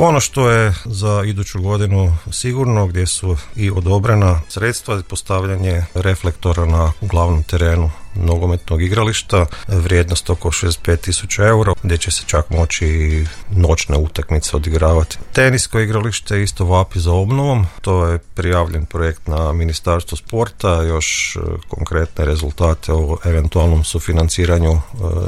Ono što je za iduću godinu sigurno, gdje su i odobrena sredstva, postavljanje reflektora na glavnom terenu nogometnog igrališta, vrijednost oko 65.000 eura, gdje će se čak moći i noćne utakmice odigravati. Tenisko igralište isto vapi za obnovom, to je prijavljen projekt na Ministarstvo sporta, još konkretne rezultate o eventualnom sufinanciranju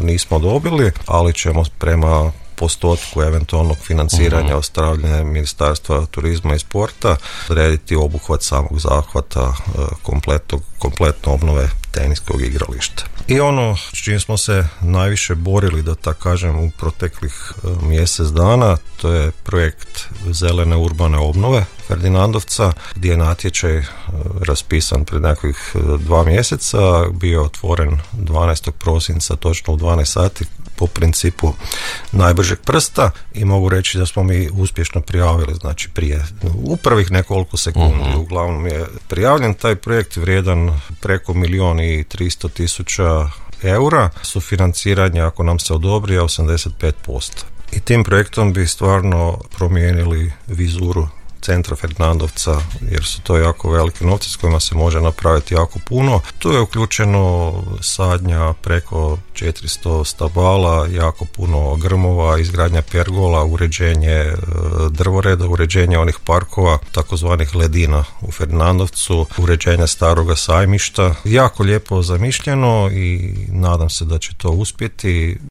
nismo dobili, ali ćemo prema postotku eventualnog financiranja od strane Ministarstva turizma i sporta odrediti obuhvat samog zahvata kompletno obnove teniskog igrališta. I ono s čim smo se najviše borili, da tako kažem, u proteklih mjesec dana, to je projekt zelene urbane obnove Ferdinandovca, gdje je natječaj raspisan pred nekakvih 2 mjeseca, bio otvoren 12. prosinca točno u 12 sati po principu najbržeg prsta i mogu reći da smo mi uspješno prijavili, znači prije u prvih nekoliko sekundi. Uglavnom je prijavljen taj projekt vrijedan preko 1.300.000 eura, sufinanciranje ako nam se odobri je 85%. I tim projektom bi stvarno promijenili vizuru centra Ferdinandovca, jer su to jako velike novce s kojima se može napraviti jako puno. Tu je uključeno sadnja preko 400 stabala, jako puno grmova, izgradnja pergola, uređenje drvoreda, uređenje onih parkova, takozvanih ledina u Ferdinandovcu, uređenje staroga sajmišta. Jako lijepo zamišljeno i nadam se da će to uspjeti.